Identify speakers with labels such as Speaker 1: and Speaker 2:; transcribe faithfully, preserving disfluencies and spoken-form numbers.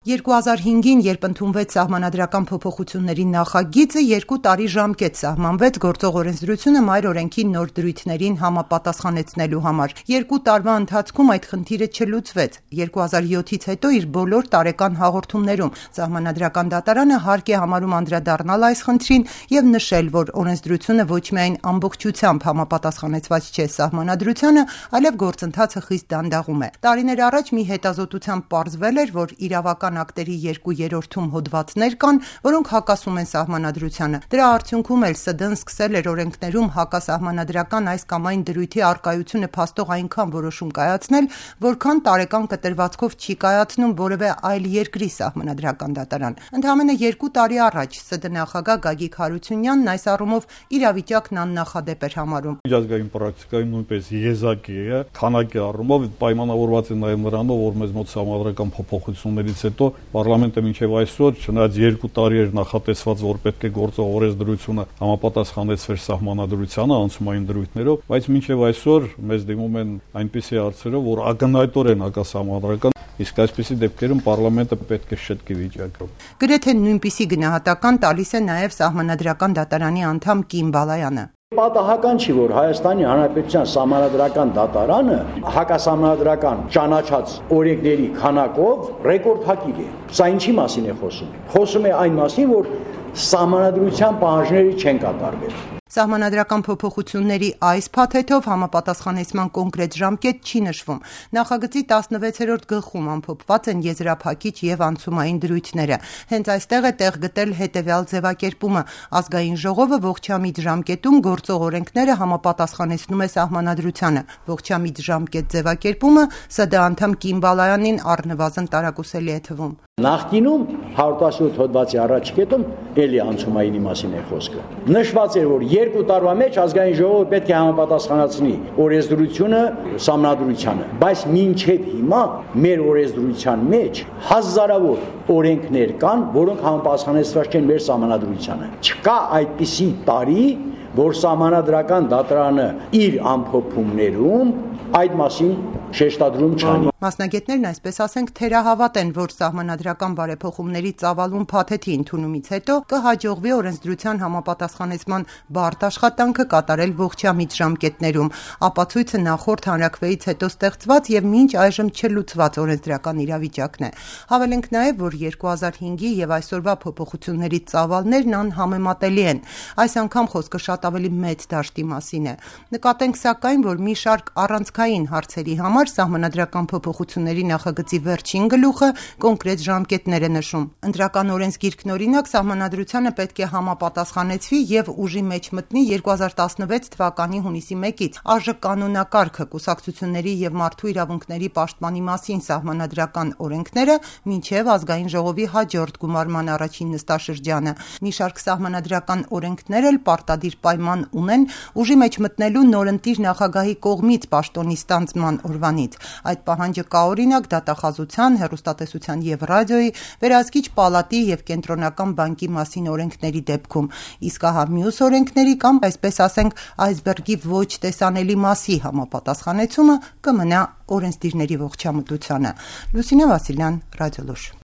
Speaker 1: երկու հազար հինգին, երբ ընդունվեց սահմանադրական փոփոխությունների նախագիծը, երկու տարի ժամկետ սահմանվեց գործող օրենսդրությունը մայր օրենքի նոր դրույթներին համապատասխանեցնելու համար։ Երկու տարվա ընթացքում այդ խնդիրը չլուծվեց։ երկու հազար յոթից հետո իր բոլոր տարեկան հաղորդումներում Սահմանադրական դատարանը հարկ է համարում անդրադառնալ այս խնդրին եւ նշել, որ օրենսդրությունը ոչ միայն ամբողջությամբ համապատասխանեցված չէ սահմանադրությանը, այլև գործընթացը խիստ դանդաղում է։ Տարիներ առաջ մի հետազոտությամբ պարզվել էր, որ իրավական ակտերի երկու երրորդում հոդվածներ կան, որոնք հակասում են սահմանադրությանը։ Դրա արդյունքում էլ ՍԴ-ն սկսել էր օրենքներում հակասահմանադրական այս կամ այն դրույթի առկայությունը փաստող այնքան որոշում կայացնել, որքան տարեկան կտրվածքով չի կայացնում որևէ այլ երկրի սահմանադրական դատարան։ Ընդամենը երկու տարի առաջ ՍԴ նախագահ Գագիկ Հարությունյանն այս առումով իրավիճակն աննախադեպ էր համարում։
Speaker 2: Միջազգային պրակտիկայում նույնպես եզակի է, քանակի առումով պայմանավորված է նաև նրանով, որ մեզ մոտ սահմանադրական փոփոխություններից հետո Պարլամենտը մինչև այսօր, չնայած երկու տարի էր նախատեսված, որ պետք է գործող օրենսդրությունը համապատասխանեցվեր սահմանադրությանը անցումային դրույթներով, բայց մինչև այսօր մեզ դիմում են այնպիսի հարցերով, որ ակնհայտորեն հակասահմանադրական, իսկ այսպիսի դեպքերում Պարլամենտը պետք է շտկի վիճակում։
Speaker 1: Գրեթե նույնպիսի գնահատական տալիս է նաև Սահմանադրական դատարանի անդամ Կին Բալայանը։
Speaker 3: Պատահական չի, որ Հայաստանի Հանրապետության Սահմանադրական դատարանը հակասահմանադրական ճանաչած օրենքների քանակով ռեկորդակիր է։ Սա ինչի մասին է խոսում։ Խոսում է այն մասին, որ սահմանադրության պահանջները չեն կատարվել։
Speaker 1: Սահմանադրական փոփոխությունների այս փաթեթով համապատասխանեցման կոնկրետ ժամկետ չի նշվում։ Նախագծի տասնվեցերորդ գլխում ամփոփված են եզրափակիչ եւ անցումային դրույթները։ Հենց այստեղ է տեղ գտել հետեւյալ ձևակերպումը. ազգային ժողովը ողջամիտ ժամկետում գործող օրենքները համապատասխանեցնում է սահմանադրությանը։ Ողջամիտ ժամկետ ձևակերպումը ՍԴ անդամ Կին Բալայանին առնվազն տարակուսելի է թվում։
Speaker 3: Նախկինում հարյուր տասնյոթ հոդվածի առաջ կետում էլի անցումայինի մասին է խոսքը։ Նշված էր, որ երկու տարվա մեջ ազգային ժողովը պետք է համապատասխանեցնի օրենսդրությունը սահմանադրությանը, բայց մինչև հիմա մեր օրենսդրության մեջ հազարավոր օրենքներ կան, որոնք համապատասխանեցված չեն մեր սահմանադրությանը։ Չկա այդպիսի տարի, որ Սահմանադրական դատարանը իր ամփոփումներում այդ մասին շեշտադրում չանի։
Speaker 1: Մասնագետներն այսպես ասենք թերահավատ են, որ սահմանադրական բարեփոխումների ծավալուն փաթեթի ընդունումից հետո կհաջողվի օրենսդրության համապատասխանեցման բարդ աշխատանքը կատարել ողջամիտ ժամկետներում։ Ապացույցը նախորդ հանրաքվեից հետո ստեղծված եւ մինչ այժմ չլուծված օրենսդրական իրավիճակն է։ Հավելենք նաեւ, որ երկու հազար հինգի եւ այսօրվա փոփոխությունների ծավալներն անհամեմատելի են։ Այս անգամ խոսքը շատ ավելի մեծ դաշտի մասին է։ Նկատենք սակայն, որ մի շարք առանցքային հարցերի համար սահմանադրական փոփոխությունների նախագծի վերջին գլուխը կոնկրետ ժամկետներ է նշում։ Ընտրական օրենսգիրքն օրինակ սահմանադրությանը պետք է համապատասխանեցվի եւ ուժի մեջ մտնի երկու հազար տասնվեց թվականի հունիսի մեկից։ ԱԺ կանոնակարգը, կուսակցությունների եւ մարդու իրավունքների պաշտպանի մասին սահմանադրական օրենքները մինչեւ ազգային ժողովի հաջորդ գումարման առաջին նստաշրջանը։ Մի շարք սահմանադրական օրենքներ էլ պարտադիր պայման ունեն ուժի մեջ մտնելու նորընտիր նախագահի կողմից պաշտոնի ստանձնման օրվանից։ Այդ պահանջը կա օրինակ դատախազության, հեռուստատեսության եւ ռադիոյի, վերահսկիչ պալատի եւ կենտրոնական բանկի մասին օրենքների դեպքում։ Իսկ ահա մյուս օրենքների կամ այսպես ասենք այսբերգի ոչ տեսանելի մասի համապատասխանեցումը կմնա օրենսդիրների ողջամտությանը։ Լուսինե Վասիլյան, Ռադիոլուր։